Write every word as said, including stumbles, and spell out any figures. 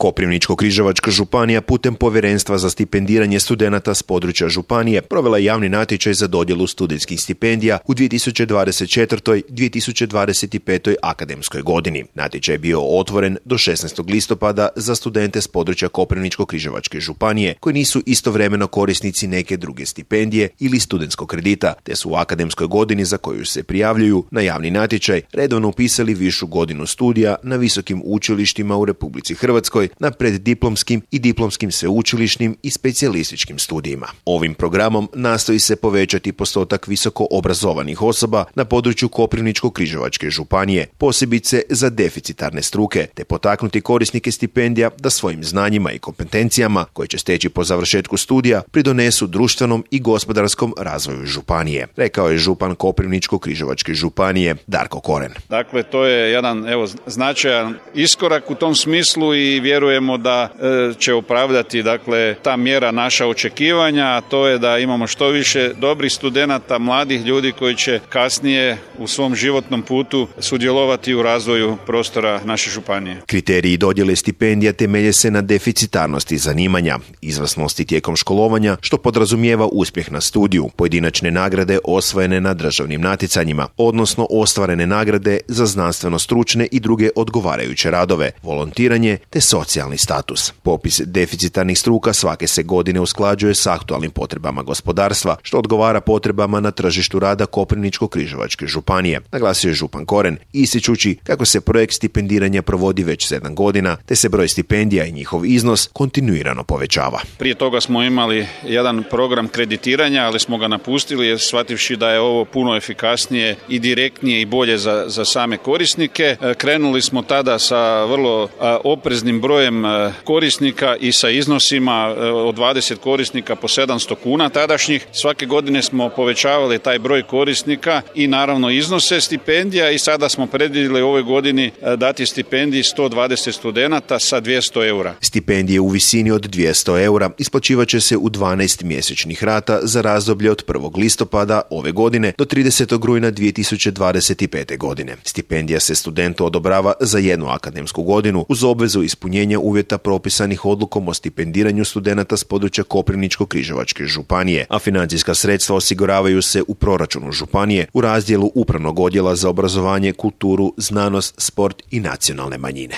Koprivničko-križevačka županija putem Povjerenstva za stipendiranje studenata s područja županije provela javni natječaj za dodjelu studentskih stipendija u dvije tisuće dvadeset četvrtoj dvije tisuće dvadeset petoj akademskoj godini. Natječaj je bio otvoren do šesnaestog listopada za studente s područja Koprivničko-križevačke županije koji nisu istovremeno korisnici neke druge stipendije ili studentskog kredita, te su u akademskoj godini za koju se prijavljuju na javni natječaj redovno upisali višu godinu studija na visokim učilištima u Republici Hrvatskoj na preddiplomskim i diplomskim sveučilišnim i specijalističkim studijima. Ovim programom nastoji se povećati postotak visoko obrazovanih osoba na području Koprivničko-križevačke županije, posebice za deficitarne struke, te potaknuti korisnike stipendija da svojim znanjima i kompetencijama koje će steći po završetku studija pridonesu društvenom i gospodarskom razvoju županije, rekao je župan Koprivničko-križevačke županije Darko Koren. Dakle, to je jedan evo značajan iskorak u tom smislu i vjerujemo da e, će opravdati dakle ta mjera naša očekivanja, a to je da imamo što više dobrih studenata, mladih ljudi koji će kasnije u svom životnom putu sudjelovati u razvoju prostora naše županije. Kriteriji dodjele stipendija temelje se na deficitarnosti zanimanja, izvrsnosti tijekom školovanja, što podrazumijeva uspjeh na studiju, pojedinačne nagrade osvojene na državnim natjecanjima, odnosno ostvarene nagrade za znanstveno-stručne i druge odgovarajuće radove, volontiranje te socijalni status. Popis deficitarnih struka svake se godine usklađuje s aktualnim potrebama gospodarstva, što odgovara potrebama na tržištu rada Koprivničko-križevačke županije, naglasio je župan Koren, ističući kako se projekt stipendiranja provodi već sedam godina, te se broj stipendija i njihov iznos kontinuirano povećava. Prije toga smo imali jedan program kreditiranja, ali smo ga napustili jer shvativši da je ovo puno efikasnije i direktnije i bolje za, za same korisnike. Krenuli smo tada sa vrlo opreznim brojem korisnika i sa iznosima od dvadeset korisnika po sedamsto kuna tadašnjih. Svake godine smo povećavali taj broj korisnika i naravno iznose stipendija i sada smo predvidjeli u ovoj godini dati stipendiji sto dvadeset studenata sa dvjesto eura. Stipendije u visini od dvjesto eura isplaćivat će se u dvanaest mjesečnih rata za razdoblje od prvog listopada ove godine do tridesetog rujna dvije tisuće dvadeset pete godine. Stipendija se studentu odobrava za jednu akademsku godinu uz obvezu ispunjenja uvjeta propisanih odlukom o stipendiranju studenata s područja Koprivničko-križevačke županije, a financijska sredstva osiguravaju se u proračunu županije u razdjelu Upravnog odjela za obrazovanje, kulturu, znanost, sport i nacionalne manjine.